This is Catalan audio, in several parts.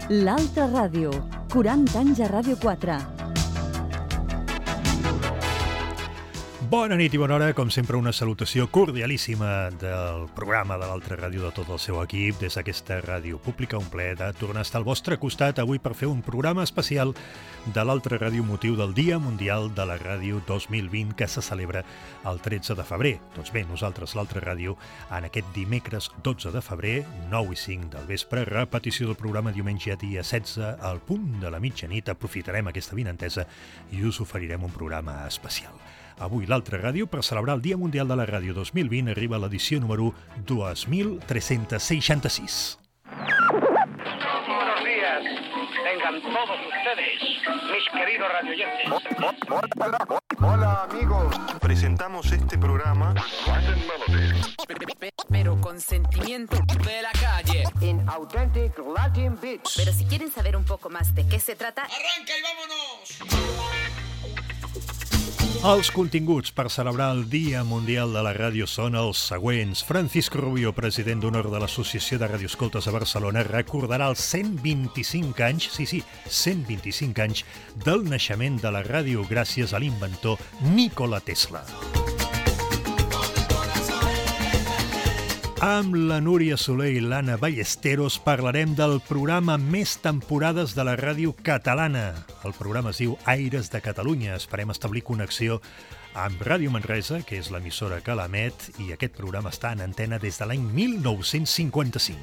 L'Altra Ràdio, 40 anys a Ràdio 4. Bona nit i bona hora, com sempre una salutació cordialíssima del programa de l'Altra Ràdio, de tot el seu equip, des d'aquesta ràdio pública, un plaer de tornar a estar al vostre costat avui per fer un programa especial de l'Altra Ràdio, motiu del Dia Mundial de la Ràdio 2020 que se celebra el 13 de febrer. Doncs bé, nosaltres, l'Altra Ràdio, en aquest dimecres 12 de febrer, 9 i 5 del vespre, repetició del programa diumenge dia 16 al punt de la mitjanit, aprofitarem aquesta vinentesa i us oferirem un programa especial. Avui l'Altra Ràdio, per celebrar el Dia Mundial de la Ràdio 2020, arriba a l'edició número 2366. Buenos días, tengan todos ustedes, mis queridos radioyentes. Hola amigos, presentamos este programa pero con sentimiento de la calle, in authentic Latin beats. pero si quieren saber un poco más de qué se trata, ¡Arranca y vámonos! Els continguts per celebrar el Dia Mundial de la Ràdio són els següents. Francisco Rubio, president d'honor de l'Associació de Radioescoltes a Barcelona, recordarà els 125 anys, 125 anys del naixement de la ràdio gràcies a l'inventor Nikola Tesla. Amb la Núria Soler i l'Anna Ballesteros parlarem del programa més temporades de la ràdio catalana. El programa es diu Aires de Catalunya. Esperem establir connexió amb Ràdio Manresa, que és l'emissora que l'emet, i aquest programa està en antena des de l'any 1955.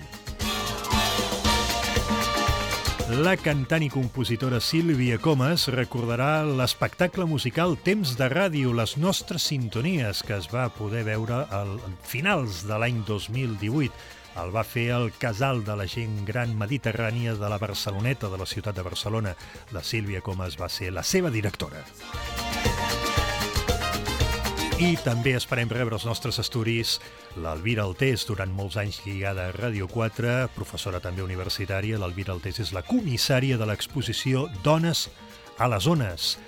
La cantant i compositora Sílvia Comas recordarà l'espectacle musical Temps de Ràdio, les nostres sintonies, que es va poder veure a finals de l'any 2018. El va fer el Casal de la Gent Gran Mediterrània de la Barceloneta, de la ciutat de Barcelona. La Sílvia Comas va ser la seva directora. I també esperem rebre els nostres estudis l'Elvira Altés, durant molts anys lligada a Ràdio 4, professora també universitària. L'Elvira Altés és la comissària de l'exposició Dones a les Ones.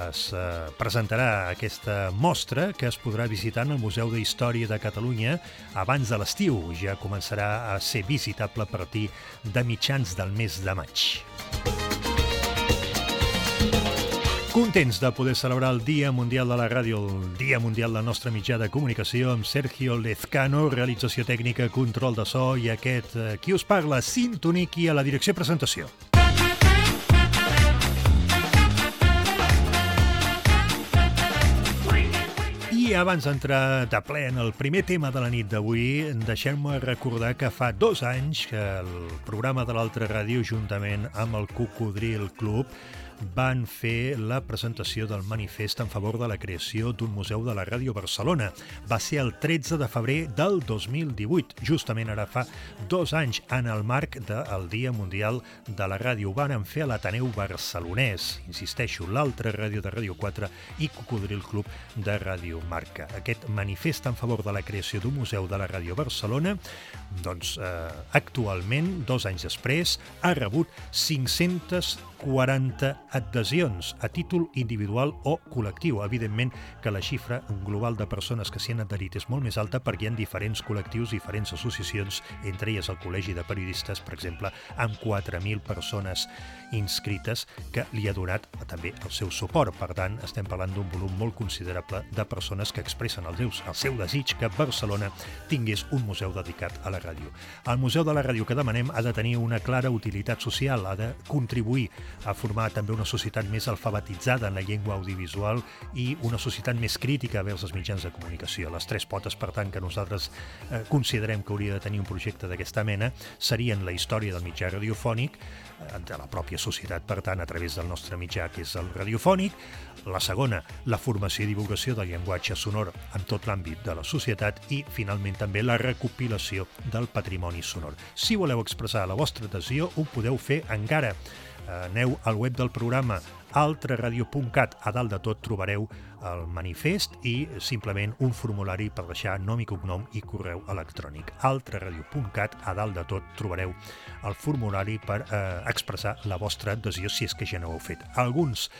Es presentarà aquesta mostra que es podrà visitar en el Museu d'Història de Catalunya abans de l'estiu. Ja començarà a ser visitable a partir de mitjans del mes de maig. Contents de poder celebrar el Dia Mundial de la Ràdio, el Dia Mundial del nostre mitjà de comunicació, amb Sergio Lezcano, realització tècnica, control de so, i aquest qui us parla, Sintoniqui, a la direcció i presentació. I abans d'entrar de ple en el primer tema de la nit d'avui, deixem-me recordar que fa 2 anys que el programa de l'Altra Ràdio, juntament amb el Cocodril Club, van fer la presentació del manifest en favor de la creació d'un museu de la ràdio a Barcelona. Va ser el 13 de febrer del 2018, justament ara fa 2 anys, en el marc del Dia Mundial de la Ràdio. Ho van fer a l'Ateneu Barcelonès, insisteixo, l'Altra Ràdio de Ràdio 4 i Cocodril Club de Ràdio Marca. Aquest manifest en favor de la creació d'un museu de la ràdio a Barcelona, doncs actualment, 2 anys després, ha rebut 540 adhesions a títol individual o col·lectiu. Evidentment que la xifra global de persones que s'hi han adherit és molt més alta perquè hi ha diferents col·lectius, diferents associacions, entre elles el Col·legi de Periodistes, per exemple, amb 4.000 persones inscrites, que li ha donat també el seu suport. Per tant, estem parlant d'un volum molt considerable de persones que expressen el seu desig que Barcelona tingués un museu dedicat a la ràdio. El Museu de la Ràdio que demanem ha de tenir una clara utilitat social, ha de contribuir a formar també una societat més alfabetitzada en la llengua audiovisual i una societat més crítica vers els mitjans de comunicació. Les 3 potes, per tant, que nosaltres considerem que hauria de tenir un projecte d'aquesta mena serien la història del mitjà radiofònic, de la pròpia societat, per tant, a través del nostre mitjà, que és el radiofònic. La segona, la formació i divulgació del llenguatge sonor en tot l'àmbit de la societat i, finalment, també la recopilació del patrimoni sonor. Si voleu expressar la vostra adhesió, ho podeu fer encara. Aneu al web del programa altraradio.cat. A dalt de tot trobareu el manifest i simplement un formulari per deixar nom i cognom i correu electrònic. altraradio.cat. A dalt de tot trobareu el formulari per expressar la vostra adhesió si és que ja no ho heu fet. Alguns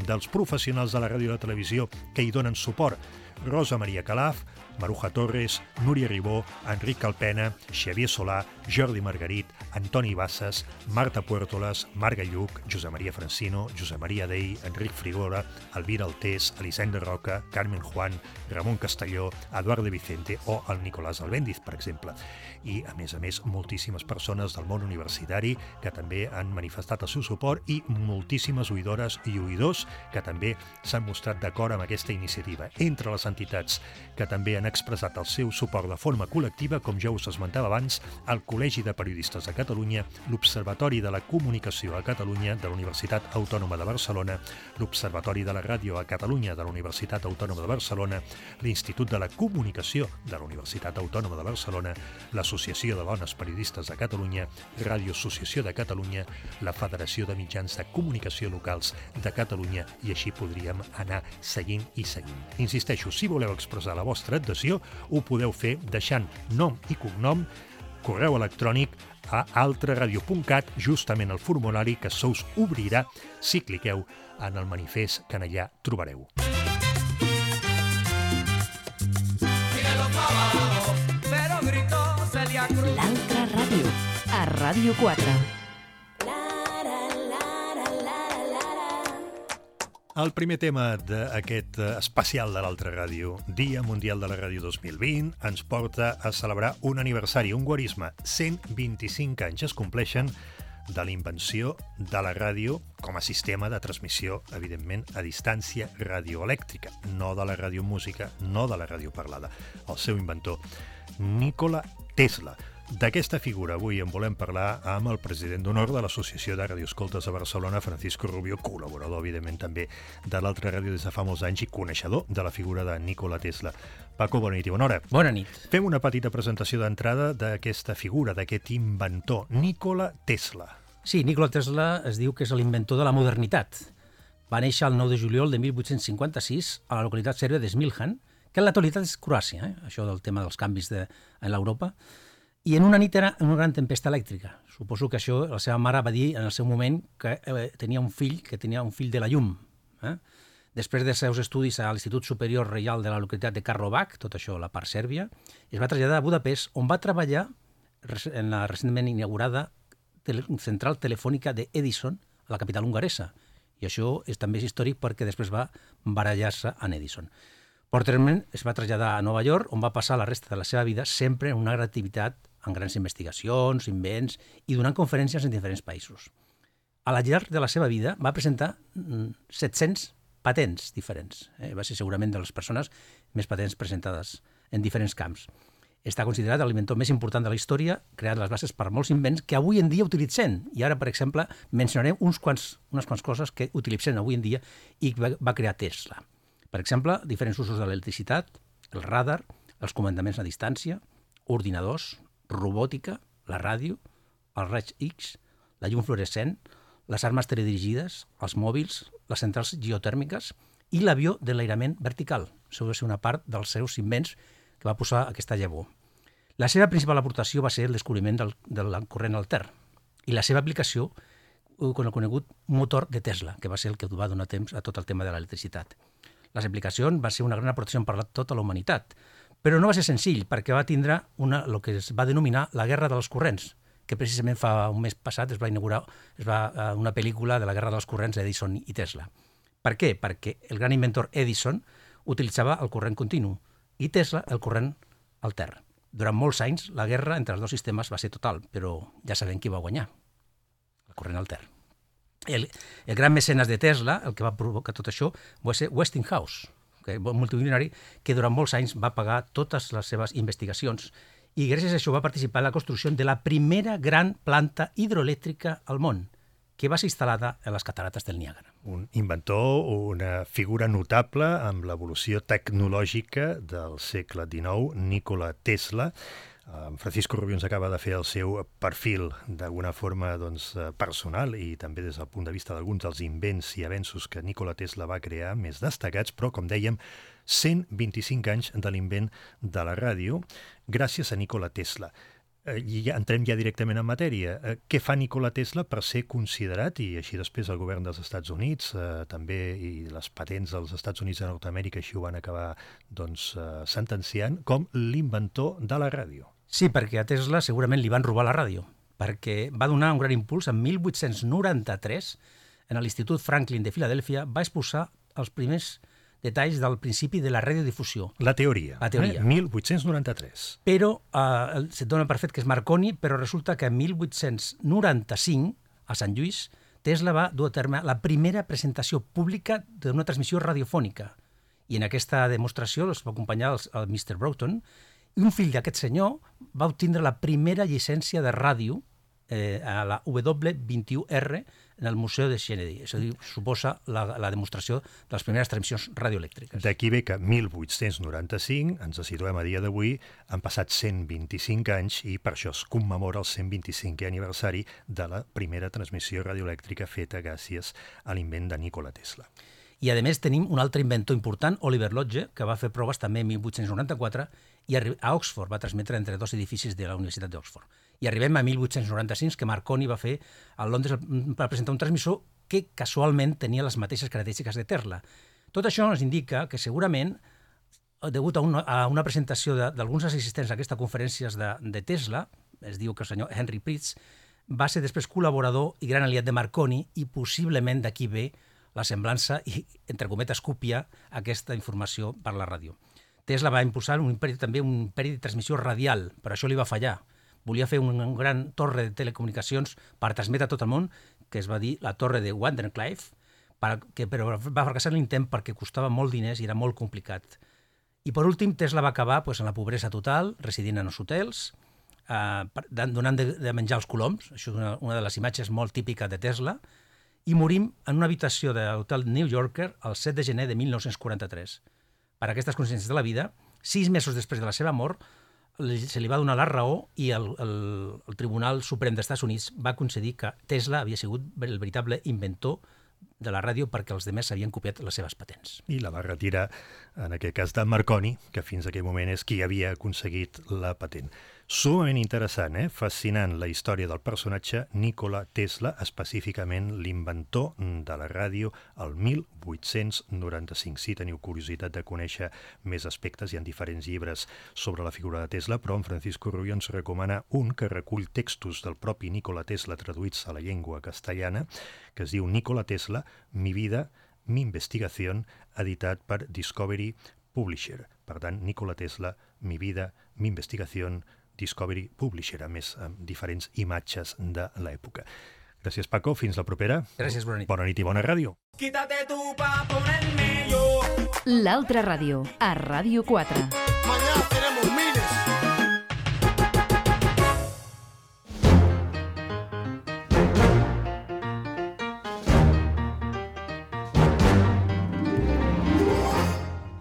dels professionals de la ràdio i la televisió que hi donen suport: Rosa Maria Calaf, Maruja Torres, Núria Ribó, Enric Calpena, Xavier Solà, Jordi Margarit, Antoni Bassas, Marta Puertolas, Marga Lluc, Josep Maria Francino, Josep Maria Dei, Enric Frigora, Elvira Altés, Elisenda Roca, Carmen Juan, Ramon Castelló, Eduard de Vicente o el Nicolás Albéndiz, per exemple. I, a més, moltíssimes persones del món universitari que també han manifestat el seu suport i moltíssimes oïdores i oïdors que també s'han mostrat d'acord amb aquesta iniciativa. Entre les entitats que també han expressat el seu suport de forma col·lectiva, com ja us esmentava abans, el Col·legi de Periodistes de Catalunya, l'Observatori de la Comunicació a Catalunya de la Universitat Autònoma de Barcelona, l'Observatori de la Ràdio a Catalunya de la Universitat Autònoma de Barcelona, l'Institut de la Comunicació de la Universitat Autònoma de Barcelona, l'Associació de Dones Periodistes de Catalunya, Ràdio Associació de Catalunya, la Federació de Mitjans de Comunicació Locals de Catalunya, i així podríem anar seguint i seguint. Insisteixo, si voleu expressar la vostra adhesió, ho podeu fer deixant nom i cognom, correu electrònic a altraradio.cat, justament el formulari que se us obrirà si cliqueu en el manifest que en allà trobareu. L'altra ràdio, a Ràdio 4. El primer tema d'aquest especial de l'Altra Ràdio, Dia Mundial de la Ràdio 2020, ens porta a celebrar un aniversari, un guarisme. 125 anys es compleixen de la invenció de la ràdio com a sistema de transmissió, evidentment, a distància radioelèctrica, no de la radiomúsica, no de la ràdio parlada. El seu inventor, Nikola Tesla. D'aquesta figura avui en volem parlar amb el president d'honor de l'Associació de Radioescoltes de Barcelona, Francisco Rubio, col·laborador, evidentment, també de l'Altra Ràdio des de fa molts anys i coneixedor de la figura de Nikola Tesla. Paco, bona nit i bona hora. Bona nit. Fem una petita presentació d'entrada d'aquesta figura, d'aquest inventor, Nikola Tesla. Sí, Nikola Tesla es diu que és l'inventor de la modernitat. Va néixer el 9 de juliol de 1856 a la localitat sèrbia de Smiljan, que en l'actualitat és Croàcia, això del tema dels canvis en l'Europa. I en una nit era una gran tempesta elèctrica. Suposo que això la seva mare va dir en el seu moment que tenia un fill de la llum. Després dels seus estudis a l'Institut Superior Reial de la localitat de Karlovac, tot això a la part sèrbia, es va traslladar a Budapest, on va treballar en la recentment inaugurada central telefònica d'Edison, a la capital hongaresa. I això també és històric perquè després va barallar-se en Edison. Posteriorment es va traslladar a Nova York, on va passar la resta de la seva vida sempre en una gran activitat, en grans investigacions, invents i donant conferències en diferents països. A la llarg de la seva vida va presentar 700 patents diferents. Va ser segurament de les persones més patents presentades en diferents camps. Està considerat l'inventor més important de la història, creant les bases per molts invents que avui en dia utilitzem. I ara, per exemple, mencionarem unes quants coses que utilitzem avui en dia i va crear Tesla. Per exemple, diferents usos de l'electricitat, el radar, els comandaments a distància, ordinadors, robòtica, la ràdio, els raigs X, la llum fluorescent, les armes teledirigides, els mòbils, les centrals geotèrmiques i l'avió d'enlairament vertical. Això va ser una part dels seus invents que va posar aquesta llavor. La seva principal aportació va ser el descobriment del corrent altern i la seva aplicació con el conegut motor de Tesla, que va ser el que va donar temps a tot el tema de l'electricitat. Les aplicacions va ser una gran aportació per a tota la humanitat, però no va ser senzill perquè va tindre el que es va denominar la Guerra dels Corrents, que precisament fa un mes passat es va inaugurar una pel·lícula de la Guerra dels Corrents d'Edison i Tesla. Per què? Perquè el gran inventor Edison utilitzava el corrent continu i Tesla el corrent altern. Durant molts anys la guerra entre els dos sistemes va ser total, però ja sabem qui va guanyar, el corrent altern. El gran mecenes de Tesla, el que va provocar tot això, va ser Westinghouse, un multimilionari que durant molts anys va pagar totes les seves investigacions i gràcies a això va participar en la construcció de la primera gran planta hidroelèctrica al món, que va ser instal·lada a les catarates del Niàgara. Un inventor, una figura notable amb l'evolució tecnològica del segle XIX, Nikola Tesla. Francisco Rubio ens acaba de fer el seu perfil d'alguna forma personal i també des del punt de vista d'alguns dels invents i avenços que Nikola Tesla va crear més destacats, però, com dèiem, 125 anys de l'invent de la ràdio gràcies a Nikola Tesla. I entrem ja directament en matèria. Què fa Nikola Tesla per ser considerat, i així després el govern dels Estats Units, també, i les patents dels Estats Units de Nord-Amèrica així ho van acabar sentenciant, com l'inventor de la ràdio? Sí, perquè a Tesla segurament li van robar la ràdio, perquè va donar un gran impuls en 1893 en l'Institut Franklin de Filadèlfia, va exposar els primers detalls del principi de la radiodifusió. La teoria. 1893. Però se't dona per fet que és Marconi, però resulta que en 1895, a Sant Lluís, Tesla va dur a terme la primera presentació pública d'una transmissió radiofònica. I en aquesta demostració els va acompanyar el Mr. Broughton, i un fill d'aquest senyor va obtindre la primera llicència de ràdio a la W21R en el Museu de Kennedy. És a dir, suposa la demostració de les primeres transmissions radioelèctriques. D'aquí ve que 1895, ens situem a dia d'avui, han passat 125 anys i per això es commemora el 125è aniversari de la primera transmissió radioelèctrica feta gràcies a l'invent de Nikola Tesla. I, a més, tenim un altre inventor important, Oliver Lodge, que va fer proves també en 1894 i a Oxford, va transmetre entre dos edificis de la Universitat d'Oxford. I arribem a 1895, que Marconi va fer a Londres per presentar un transmissor que casualment tenia les mateixes característiques de Tesla. Tot això ens indica que segurament, degut a una presentació d'alguns assistents a aquestes conferències de Tesla, es diu que el senyor Henry Pritz, va ser després col·laborador i gran aliat de Marconi i possiblement d'aquí ve la semblança i, entre cometes, copia aquesta informació per la ràdio. Tesla va impulsar també un imperi de transmissió radial, però això li va fallar. Volia fer una gran torre de telecomunicacions per transmetre a tot el món, que es va dir la torre de Wardenclyffe, però va fracassar l'intent perquè costava molt diners i era molt complicat. I per últim, Tesla va acabar en la pobresa total, residint en els hotels, donant de menjar als coloms, això és una de les imatges molt típiques de Tesla, i morim en una habitació de l'hotel New Yorker el 7 de gener de 1943. Per aquestes consciències de la vida, 6 mesos després de la seva mort, se li va donar la raó i el Tribunal Suprem dels Estats Units va concedir que Tesla havia sigut el veritable inventor de la ràdio perquè els demés havien copiat les seves patents. I la va retirar, en aquest cas, de Marconi, que fins a aquell moment és qui havia aconseguit la patent. Sumament interessant, fascinant la història del personatge Nikola Tesla, específicament l'inventor de la ràdio el 1895. Si teniu curiositat de conèixer més aspectes, hi ha diferents llibres sobre la figura de Tesla, però en Francisco Rubio ens recomana un que recull textos del propi Nikola Tesla traduïts a la llengua castellana, que es diu Nikola Tesla, mi vida, mi investigación, editat per Discovery Publisher. Per tant, Nikola Tesla, mi vida, mi investigación, Discovery Publisher, a més amb diferents imatges de l'època. Gràcies, Paco. Fins la propera. Gràcies, bona nit. Bona nit i bona ràdio. Quítate tú pa ponerme yo. L'altra ràdio, a Ràdio 4. Mañana tenemos miles.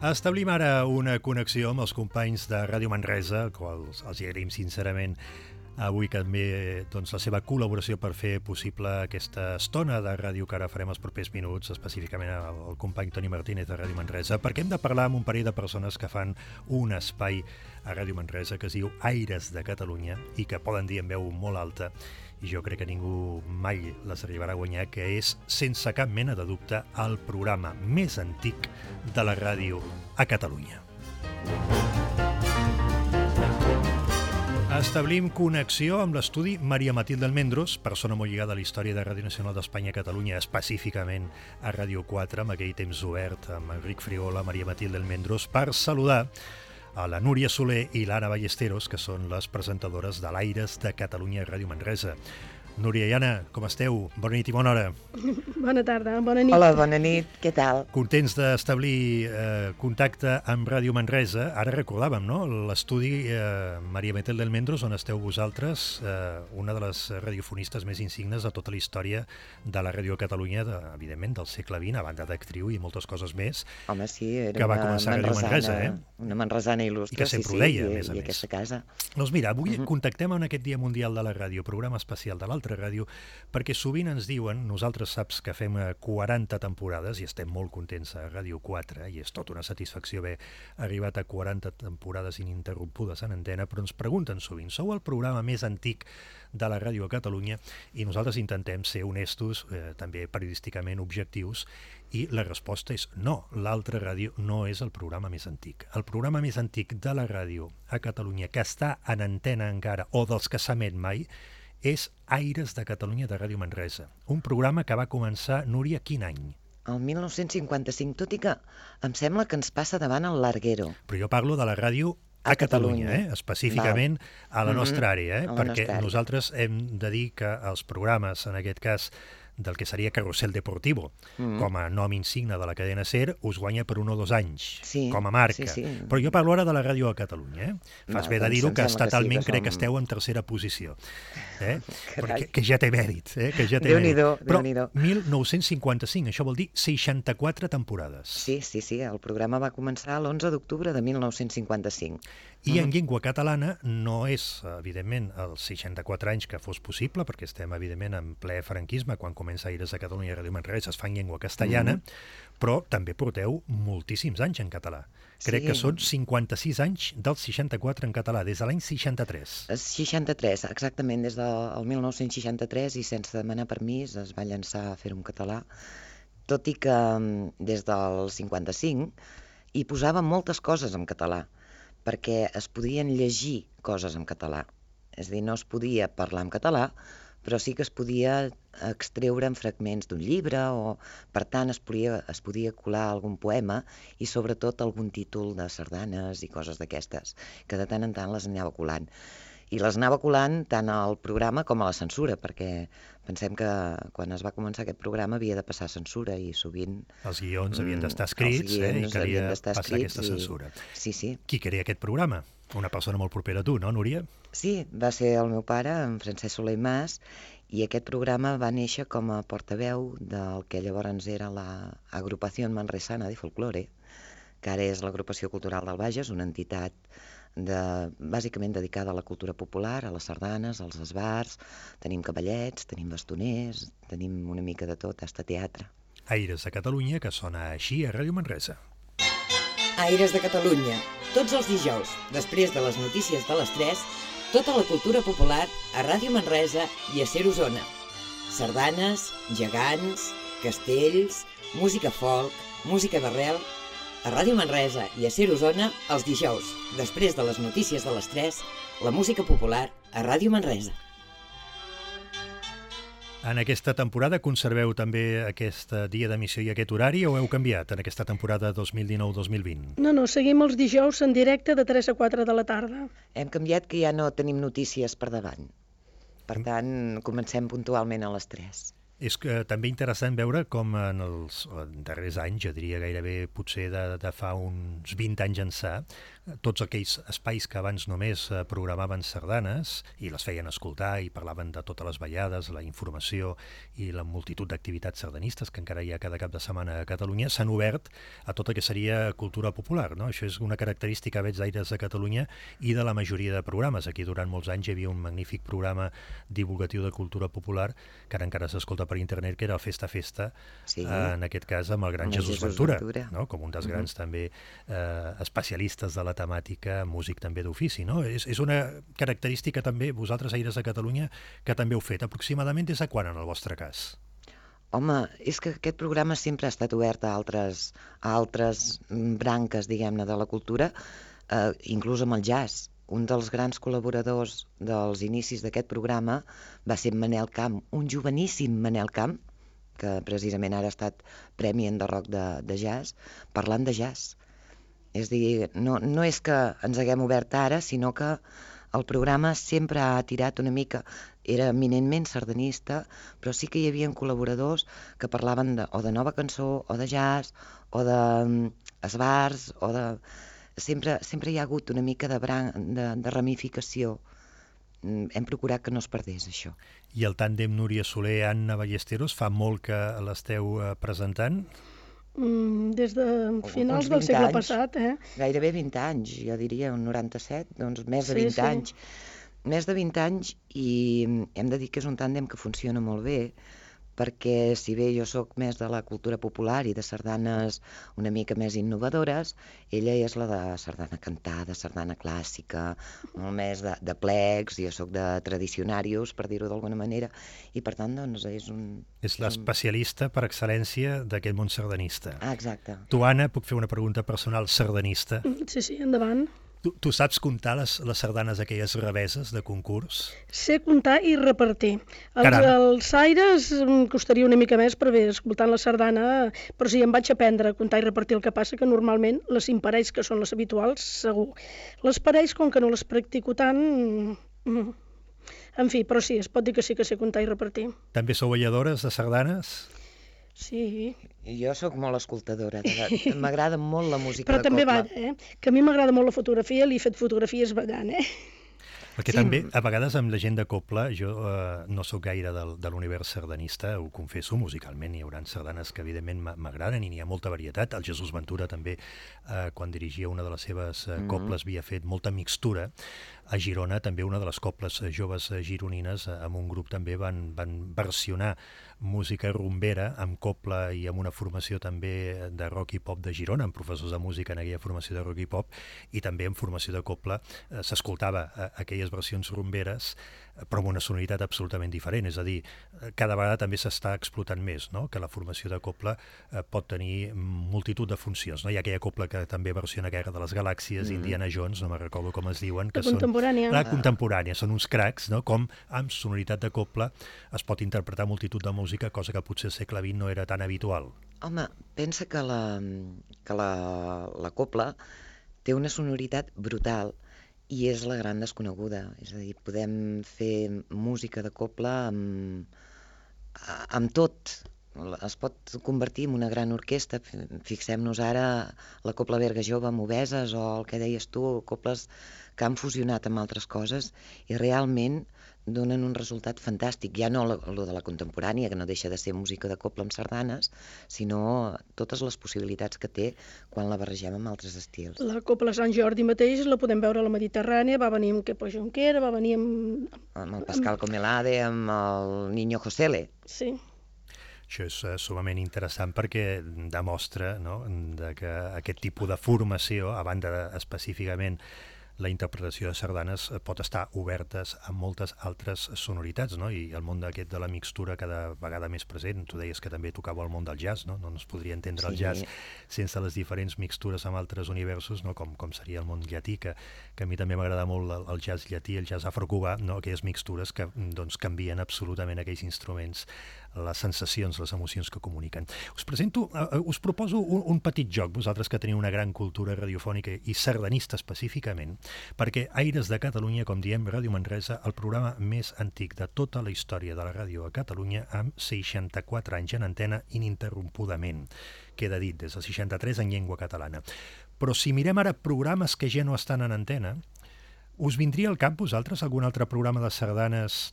Establim ara una connexió amb els companys de Ràdio Manresa, als els agraïm sincerament avui també la seva col·laboració per fer possible aquesta estona de ràdio que ara farem els propers minuts, específicament el company Toni Martínez de Ràdio Manresa, perquè hem de parlar amb un parell de persones que fan un espai a Ràdio Manresa que es diu Aires de Catalunya i que poden dir en veu molt alta, i jo crec que ningú mai les arribarà a guanyar, que és, sense cap mena de dubte, el programa més antic de la ràdio a Catalunya. Establim connexió amb l'estudi Maria Matilde Almendros, persona molt lligada a la història de Ràdio Nacional d'Espanya a Catalunya, específicament a Ràdio 4, amb aquell temps obert amb Enric Frigola, Maria Matilde Almendros, per saludar a la Núria Soler i l'Anna Ballesteros, que són les presentadores de l'Aires de Catalunya a Ràdio Manresa. Núria i Anna, com esteu? Bona nit i bona hora. Bona tarda, bona nit. Hola, bona nit, què tal? Contents d'establir contacte amb Ràdio Manresa. Ara recordàvem, no?, l'estudi Maria Matilde Almendros, on esteu vosaltres, una de les radiofonistes més insignes de tota la història de la ràdio a Catalunya, evidentment, del segle XX, a banda d'actriu i moltes coses més. Home, sí, era que va començar a Ràdio Manresa, una manresana il·lustre, i que sempre ho deia, a més a més. I aquesta casa. Doncs mira, avui contactem en aquest Dia Mundial de la Ràdio, programa especial de l'Alta altra ràdio, perquè sovint ens diuen, nosaltres saps que fem 40 temporades i estem molt contents a Ràdio 4, i és tota una satisfacció haver arribat a 40 temporades ininterrompudes en antena, però ens pregunten sovint, sou el programa més antic de la ràdio a Catalunya, i nosaltres intentem ser honestos, també periodísticament objectius, i la resposta és no, l'altra ràdio no és el programa més antic. El programa més antic de la ràdio a Catalunya, que està en antena encara, o dels que s'emet mai, és Aires de Catalunya de Ràdio Manresa. Un programa que va començar, Núria, quin any? El 1955, tot i que em sembla que ens passa davant el Larguero. Però jo parlo de la ràdio a Catalunya, específicament a la nostra àrea, perquè nosaltres hem de dir que els programes, en aquest cas, del que seria Carrusel Deportivo, com a nom insigne de la cadena SER, us guanya per 1 o 2 anys, com a marca. Però jo parlo ara de la ràdio a Catalunya. Fas bé de dir-ho, que estatalment crec que esteu en tercera posició. Que ja té mèrit. Déu-n'hi-do. Però 1955, això vol dir 64 temporades. Sí, el programa va començar l'11 d'octubre de 1955. I en llengua catalana no és, evidentment, els 64 anys que fos possible, perquè estem, evidentment, en ple franquisme, quan comença Aires de Catalunya i Ràdio Manresa es fa en llengua castellana, però també porteu moltíssims anys en català. Crec que són 56 anys dels 64 en català, des de l'any 63. 63, exactament, des del 1963, i sense demanar permís es va llançar a fer-ho en català, tot i que des del 55 hi posava moltes coses en català, perquè es podien llegir coses en català. És a dir, no es podia parlar en català, però sí que es podia extreure en fragments d'un llibre, o per tant es podia colar algun poema i sobretot algun títol de sardanes i coses d'aquestes, que de tant en tant les anava colant. I les anava colant tant al programa com a la censura, perquè pensem que quan es va començar aquest programa havia de passar censura i sovint... Els guions havien d'estar escrits i calia passar aquesta censura. Sí. Qui crea aquest programa? Una persona molt propera a tu, no, Núria? Sí, va ser el meu pare, en Francesc Soler i Mas, i aquest programa va néixer com a portaveu del que llavors era l'Agrupació Manresana de Folklore, que ara és l'Agrupació Cultural del Bages, una entitat bàsicament dedicada a la cultura popular, a les sardanes, als esbars, tenim cavallets, tenim bastoners, tenim una mica de tot, hasta teatre. Aires de Catalunya, que sona així a Ràdio Manresa. Aires de Catalunya, tots els dijous, després de les notícies de les 3, tota la cultura popular a Ràdio Manresa i a SER Osona. Sardanes, gegants, castells, música folk, música d'arrel... A Ràdio Manresa i a SER Osona, els dijous, després de les notícies de les 3, la música popular a Ràdio Manresa. En aquesta temporada conserveu també aquest dia d'emissió i aquest horari o heu canviat en aquesta temporada 2019-2020? No, seguim els dijous en directe de 3 a 4 de la tarda. Hem canviat, que ja no tenim notícies per davant. Per tant, comencem puntualment a les 3. És també interessant veure com en els darrers anys, jo diria gairebé potser de fa uns 20 anys ençà, tots aquells espais que abans només programaven sardanes i les feien escoltar i parlaven de totes les ballades, la informació i la multitud d'activitats sardanistes que encara hi ha cada cap de setmana a Catalunya, s'han obert a tot el que seria cultura popular, no? Això és una característica, veig, d'Aires de Catalunya i de la majoria de programes. Aquí durant molts anys hi havia un magnífic programa divulgatiu de cultura popular que ara encara s'escolta per internet, que era el Festa Festa, en aquest cas amb el gran Jesús Ventura, no? Com un dels grans també especialistes de la temàtica, músic també d'ofici, no? És una característica també, vosaltres, Aires de Catalunya, que també heu fet. Aproximadament des de quan, en el vostre cas? Home, és que aquest programa sempre ha estat obert a altres branques, diguem-ne, de la cultura, inclús amb el jazz. Un dels grans col·laboradors dels inicis d'aquest programa va ser Manel Camp, un joveníssim Manel Camp, que precisament ara ha estat Premi Enderroc de jazz, parlant de jazz. És a dir, no és que ens haguem obert ara, sinó que el programa sempre ha tirat una mica, era eminentment sardanista, però sí que hi havia col·laboradors que parlaven o de nova cançó, o de jazz, o d'esbars, o de... Sempre hi ha hagut una mica de ramificació. Hem procurat que no es perdés, això. I el tàndem Núria Soler, Anna Ballesteros, fa molt que l'esteu presentant? Des de finals del segle passat, Gairebé 20 anys, jo diria, un 97, doncs més de 20 anys. més de 20 anys i hem de dir que és un tàndem que funciona molt bé, perquè si bé jo sóc més de la cultura popular i de sardanes una mica més innovadores, ella és la de sardana cantada, sardana clàssica, molt més de plecs, jo sóc de tradicionarius, per dir-ho d'alguna manera, i per tant, doncs, és l'especialista per excel·lència d'aquest món sardanista. Exacte. Tu, Anna, puc fer una pregunta personal sardanista? Sí, endavant. Tu saps comptar les sardanes aquelles reveses de concurs? Sé comptar i repartir. Els aires em costaria una mica més, però bé, escoltant la sardana, però sí, em vaig aprendre a comptar i repartir. El que passa que normalment les imparells, que són les habituals, segur. Les parells, com que no les practico tant... En fi, però sí, es pot dir que sí que sé comptar i repartir. També sou balladores de sardanes? Sí. Jo sóc molt escoltadora, m'agrada molt la música però de també cobla. Que a mi m'agrada molt la fotografia, li he fet fotografies ballant, Perquè també, a vegades, amb la gent de cobla, jo no sóc gaire de l'univers sardanista, ho confesso, musicalment hi haurà sardanes que evidentment m'agraden i n'hi ha molta varietat. El Jesús Ventura també, quan dirigia una de les seves cobles, havia fet molta mixtura. A Girona també una de les cobles joves gironines amb un grup també van versionar música rumbera amb cobla i amb una formació també de rock i pop de Girona, amb professors de música en aquella formació de rock i pop, i també en formació de cobla s'escoltava aquelles versions rumberes, però amb una sonoritat absolutament diferent. És a dir, cada vegada també s'està explotant més, no? Que la formació de cobla pot tenir multitud de funcions. No? Hi ha aquella cobla que també versiona Guerra de les Galàxies, Indiana Jones, no me'n recordo com es diuen, que són la contemporània. Són uns cracs, no? Com amb sonoritat de cobla es pot interpretar multitud de música, cosa que potser al segle XX no era tan habitual. Home, pensa que la cobla té una sonoritat brutal i és la gran desconeguda. És a dir, podem fer música de cobla amb tot. Es pot convertir en una gran orquestra. Fixem-nos ara la Cobla Berga Jove amb Obeses o el que deies tu, cobles que han fusionat amb altres coses i realment donen un resultat fantàstic. Ja no lo de la contemporània, que no deixa de ser música de cobla amb sardanes, sinó totes les possibilitats que té quan la barregem amb altres estils. La Cobla Sant Jordi mateix la podem veure a la Mediterrània, va venir amb Quepo Junquera, va venir amb el Pascal Comelade, amb el Niño Josele. Sí. Això és sumament interessant perquè demostra, no?, que aquest tipus de formació, a banda específicament la interpretació de sardanes, pot estar obertes a moltes altres sonoritats, no? I el món d'aquest de la mixtura cada vegada més present. Tu deies que també tocava el món del jazz, no? No es podria entendre el jazz sense les diferents mixtures amb altres universos, no? Com seria el món llatí, que a mi també m'agrada molt el jazz llatí, el jazz afrocubà, no? Aquelles mixtures que doncs canvien absolutament aquells instruments, les sensacions, les emocions que comuniquen. Us proposo un petit joc, vosaltres que teniu una gran cultura radiofònica i sardanista específicament, perquè Aires de Catalunya, com diem, Ràdio Manresa, el programa més antic de tota la història de la ràdio a Catalunya, amb 64 anys en antena ininterrompudament. Queda dit, des del 63 en llengua catalana. Però si mirem ara programes que ja no estan en antena, us vindria al cap, vosaltres, algun altre programa de sardanes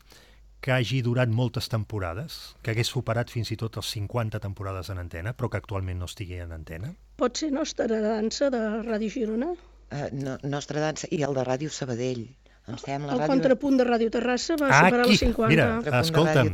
que hagi durat moltes temporades, que hagués superat fins i tot els 50 temporades en antena, però que actualment no estigui en antena? Pot ser Nostra Dansa de Ràdio Girona? Nostra Dansa i el de Ràdio Sabadell. Em sembla, el contrapunt de Ràdio Terrassa va superar els 50. Mira, escolta'm,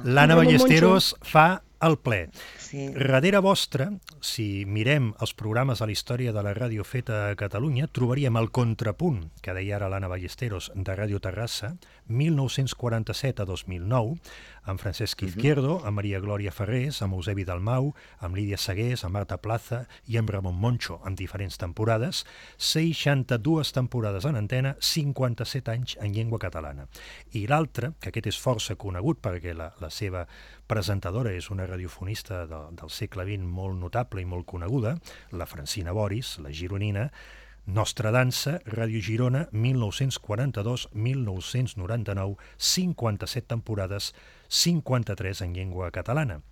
l'Anna Ballesteros fa el ple. Sí. Darrere vostra, si mirem els programes a la història de la ràdio feta a Catalunya, trobaríem el contrapunt, que deia ara l'Anna Ballesteros, de Ràdio Terrassa, 1947 a 2009, amb Francesc Izquierdo, amb Maria Glòria Ferrés, amb Eusebi Dalmau, amb Lídia Segués, amb Marta Plaza i amb Ramon Moncho, en diferents temporades, 62 temporades en antena, 57 anys en llengua catalana. I l'altre, que aquest és força conegut perquè la seva presentadora és una radiofonista del segle XX molt notable i molt coneguda, la Francina Boris, la gironina, Nostra Dansa, Ràdio Girona, 1942-1999, 57 temporades, 53 en llengua catalana.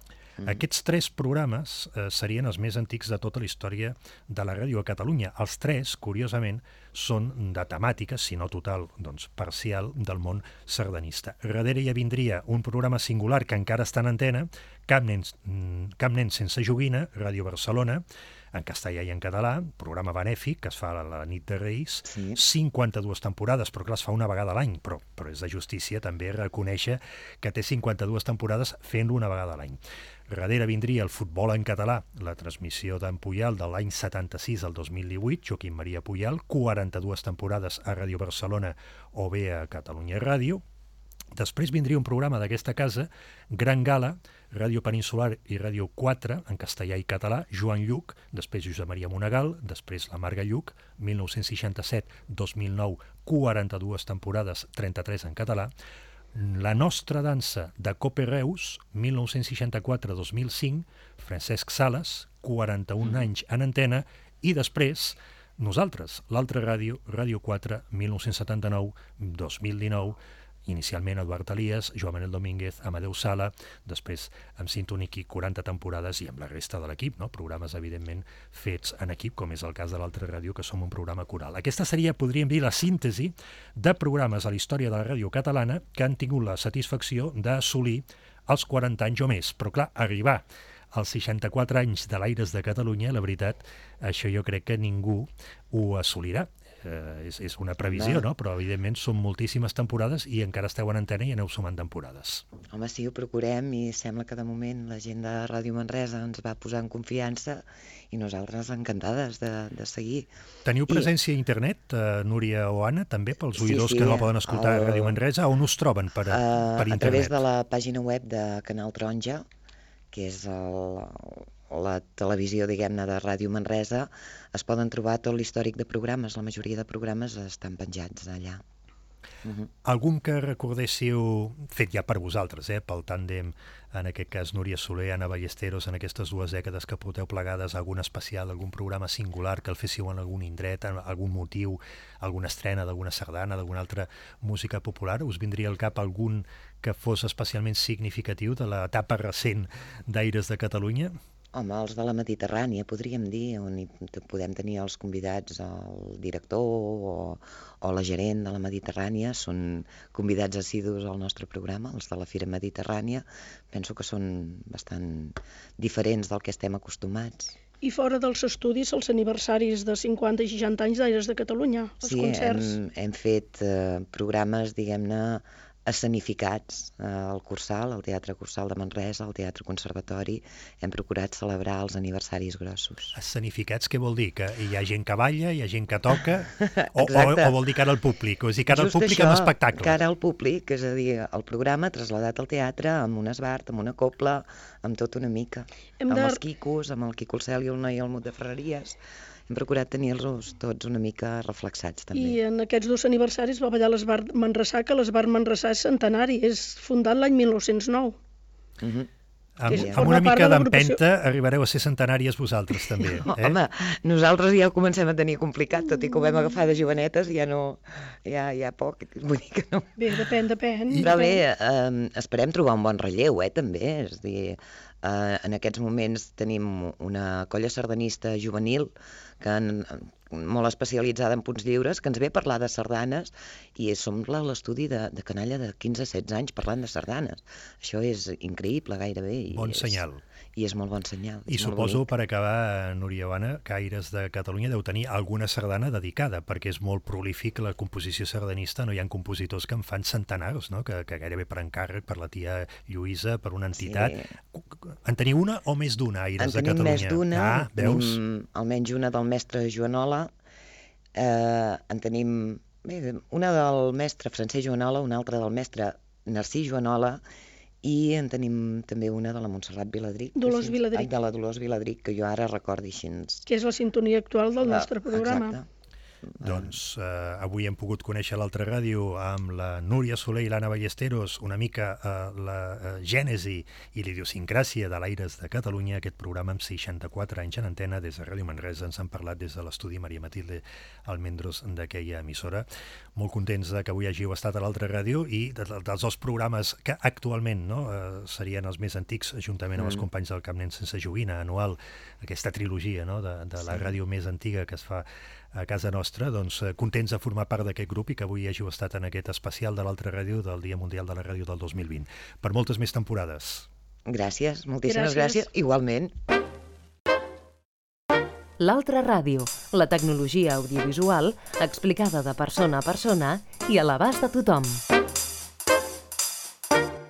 Aquests 3 programes serien els més antics de tota la història de la ràdio a Catalunya. Els 3, curiosament, són de temàtica, si no total, doncs parcial, del món sardanista. Darrere ja vindria un programa singular que encara està en antena, Cap nen sense joguina, Ràdio Barcelona, en castellà i en català, programa benèfic que es fa a la nit de Reis, Sí. 52 temporades, però clar, es fa una vegada a l'any, però és de justícia també reconèixer que té 52 temporades fent-lo una vegada a l'any. Darrere vindria el futbol en català, la transmissió d'en Puyal de l'any 76 al 2018, Joaquim Maria Puyal, 42 temporades a Ràdio Barcelona o bé a Catalunya Ràdio. Després vindria un programa d'aquesta casa, Gran Gala, Ràdio Peninsular i Ràdio 4, en castellà i català, Joan Lluc, després Josep Maria Monegal, després la Marga Lluc, 1967-2009, 42 temporades, 33 en català. La nostra dansa de Cope Reus, 1964-2005, Francesc Sales, 41 anys en antena, i després nosaltres, l'altra ràdio, Ràdio 4, 1979-2019, inicialment Eduard Elias, Joan Manel Domínguez, Amadeu Sala, després amb Sintoniki 40 temporades i amb la resta de l'equip, no? Programes evidentment fets en equip, com és el cas de l'altra ràdio, que som un programa coral. Aquesta seria, podríem dir, la síntesi de programes a la història de la ràdio catalana que han tingut la satisfacció d'assolir els 40 anys o més. Però clar, arribar als 64 anys de l'Aires de Catalunya, la veritat, això jo crec que ningú ho assolirà. És una previsió, no? Però evidentment són moltíssimes temporades i encara esteu en antena i aneu sumant temporades. Home, sí, ho procurem i sembla que de moment la gent de Ràdio Manresa ens va posar en confiança i nosaltres encantades de seguir. Teniu presència a internet, Núria o Anna, també pels oïdors que no la poden escoltar a Ràdio Manresa? On us troben per internet? A través de la pàgina web de Canal Taronja, que és la televisió, diguem-ne, de Ràdio Manresa, es poden trobar tot l'històric de programes. La majoria de programes estan penjats allà. Algun que recordéssiu, fet ja per vosaltres, pel tàndem, en aquest cas Núria Soler, Anna Ballesteros, en aquestes 2 dècades que porteu plegades, algun especial, algun programa singular que el féssiu en algun indret, en algun motiu, alguna estrena d'alguna sardana, d'alguna altra música popular? Us vindria al cap algun que fos especialment significatiu de l'etapa recent d'Aires de Catalunya? Home, els de la Mediterrània, podríem dir, on podem tenir els convidats, el director o la gerent de la Mediterrània, són convidats assidus al nostre programa, els de la Fira Mediterrània. Penso que són bastant diferents del que estem acostumats. I fora dels estudis, els aniversaris de 50 i 60 anys d'Aires de Catalunya, els concerts. Sí, hem fet programes, diguem-ne, escenificats al Cursal, al Teatre Cursal de Manresa, al Teatre Conservatori. Hem procurat celebrar els aniversaris grossos. Escenificats, què vol dir? Que hi ha gent que balla, hi ha gent que toca? o vol dir cara al públic? O és dir, cara al públic amb espectacle? Cara al públic, és a dir, el programa traslladat al teatre amb un esbart, amb una copla, amb tot una mica. Amb els quicos, amb el Quico el Cel i el Noi Almut de Ferreries. Hem procurat tenir-los tots una mica reflexats, també. I en aquests 2 aniversaris va ballar l'Esbart Manresà, que l'Esbart Manresà és centenari, és fundat l'any 1909. Amb una mica d'empenta arribareu a ser centenàries vosaltres, també. Home, nosaltres ja ho comencem a tenir complicat, tot i que ho vam agafar de jovenetes, ja no... Ja poc, vull dir que no... Bé, depèn. Però bé, esperem trobar un bon relleu, també, és a dir... En aquests moments tenim una colla sardanista juvenil molt especialitzada en punts lliures, que ens ve a parlar de sardanes i som l'estudi de canalla de 15-16 anys parlant de sardanes. Això és increïble gairebé. Bon senyal. I és molt bon senyal. I suposo, per acabar, Núria o Anna, que Aires de Catalunya deu tenir alguna sardana dedicada, perquè és molt prolífic la composició sardanista, no hi ha compositors que en fan centenars, no? que gairebé per encàrrec, per la tia Lluïsa, per una entitat. Sí. En teniu una o més d'una, Aires de Catalunya? En tenim més d'una, tenim almenys una del mestre Joanola, en tenim una del mestre Francesc Joanola, una altra del mestre Narcís Joanola, i en tenim també una de la Montserrat Viladric. Dolors Viladric. De la Dolors Viladric, que jo ara recordi així. Que és la sintonia actual del nostre programa. Exacte. Doncs avui hem pogut conèixer l'altra ràdio amb la Núria Soler i l'Anna Ballesteros, una mica la gènesi i l'idiosincràsia de l'Aires de Catalunya, aquest programa amb 64 anys en antena des de Ràdio Manresa. Ens han parlat des de l'estudi Maria Matilde Almendros d'aquella emissora. Molt contents que avui hàgiu estat a l'altra ràdio i dels 2 programes que actualment serien els més antics, juntament amb els companys del Cap Nen Sense Joguina, anual, aquesta trilogia de la ràdio més antiga que es fa a casa nostra, doncs contents de formar part d'aquest grup i que avui hàgiu estat en aquest especial de l'altra ràdio del Dia Mundial de la Ràdio del 2020. Per moltes més temporades. Gràcies, moltíssimes gràcies. Igualment. L'altra ràdio, la tecnologia audiovisual explicada de persona a persona i a l'abast de tothom.